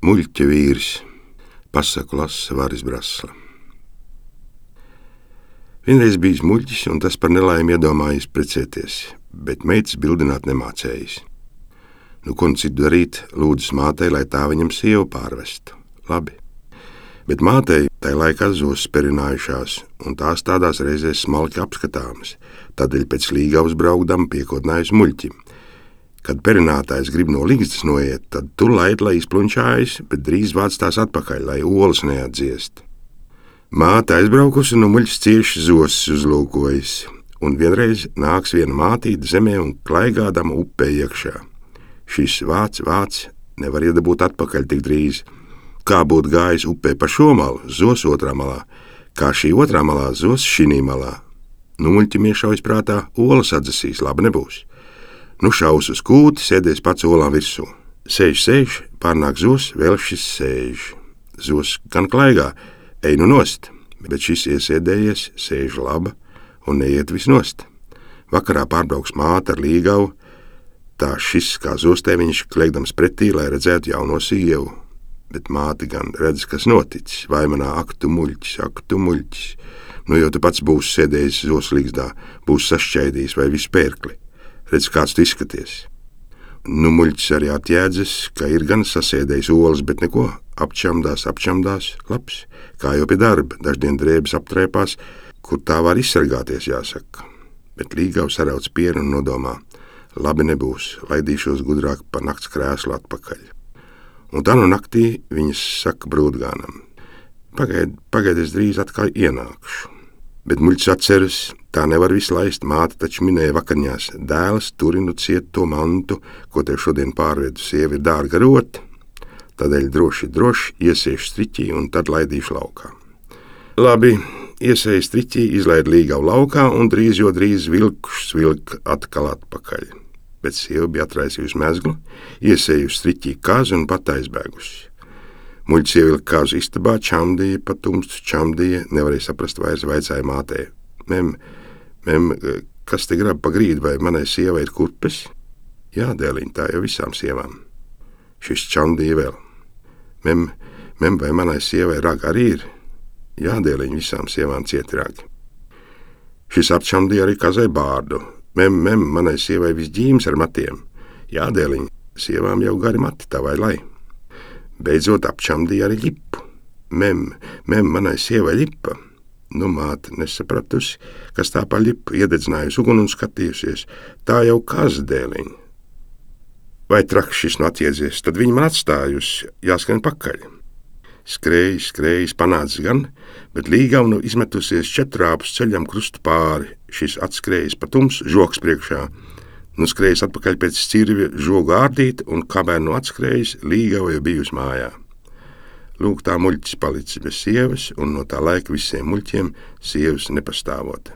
Muļķa vīrs, pasaku lasa Varis Brasla. Vienreiz bijis muļķis, un tas par nelaimi iedomājies precēties, bet meitas bildināt nemācējis. Nu, ko citu darīt, lūdzas mātei, lai tā viņam sievu pārvestu. Labi. Bet mātei tai laikā zos perinājušās, un tās tādās reizēs smalki apskatāmas, tādēļ pēc Līgavas braukdam piekodinājusi muļķim. Kad perinātājs grib no ligzdas noiet, tad tu laid, lai izplunčājas, bet drīz vāc tās atpakaļ, lai olas neatdziest. Māte aizbraukusi, nu muļķis cieši zosis uzlūkojas, un vienreiz nāks viena mātīte zemē un klaigādama upē iekšā. Šis vāc, nevar iedabūt atpakaļ tik drīz. Kā būtu gājis upē pa šo malu, zos otrā malā, kā šī otrā malā zos šinī malā. Nu muļķim iešaujas prātā, olas atdzesīs, labi nebūs. Nu šaus uz kūti, sēdies pats olām virsū. Sēž, pārnāk zos, vēl šis sēž. Zos gan klaigā, ej nu nost, bet šis iesēdējies, sēž laba un neiet vis nost. Vakarā pārbrauks māte ar Līgavu, tā šis kā zostēviņš kliegdams pretī, lai redzētu jauno sievu. Bet māte gan redz, kas noticis, vaimanā ak tu muļķis. Nu jau tu pats būsi sēdējis zoslīgzdā, būsi sašķaidījis vai visu pērkli. Redz, kāds tu izskaties. Nu muļķis arī atjēdzas, ka ir gan sasēdējis olas, bet neko, apčamdās, labs, kā jau pie darba, daždien drēbes aptrēpās, kur tā var izsargāties, jāsaka. Bet Līgava sarauc pienu un nodomā, labi nebūs, laidīšos gudrāk pa nakts krēslu atpakaļ. Un tā no naktī viņas saka brūdgānam, pagaid, es drīz atkal ienākšu. Bet muļķis atceras, tā nevar visu laist, māte taču minēja vakarņās, dēls turinu ciet to mantu, ko tev šodien pārvedu, sieva ir dārga rota, tādēļ droši iesēšu striķī un tad laidīšu laukā. Labi, iesēju striķī, izlaid Līgavu laukā un drīz vilk atkal atpakaļ. Bet sieva bija atraisījusi mezglu, iesējusi striķī kazu un pat aizbēgusi. Muļķis ievilka kāzu istabā, čamdīja, pa tumstu čamdīja, nevarēja saprast vairs, vaicāja mātei. Mem, kas te grab pa grīdu, vai manai sievai ir kurpes? Jā, dēliņ, tā jau visām sievām. Šis čamdīja vēl. Mem, vai manai sievai raga arī ir? Jā, dēliņ, visām sievām cieti ragi. Šis apčamdīja arī kazai bārdu. Mem, manai sievai visģīms ar matiem. Jā, dēliņ, sievām jau gari mati, tā vai lai. Beidzot apčamdīja arī ļipu. Mem, manai sievai ļipa. Nu, māte nesapratusi, kas tā pa ļipu iededzinājusi uguni un skatījusies. Tā jau kaza, dēliņ. Vai traks šis nu atjēdzies, tad viņa man atstājusi, jāskrien pakaļ. Skrējis, panācis gan, bet Līgava nu izmetusies četrāpus ceļam krustu pāri. Šis atskrējis pa tumsu, žoks priekšā. Nu skrējis atpakaļ pēc cirvja žogu ārdīt, un kamēr nu atskrējis, Līgava jau bijusi mājā. Lūk, tā muļķis palicis bez sievas, un no tā laika visiem muļķiem sievas nepastāvot.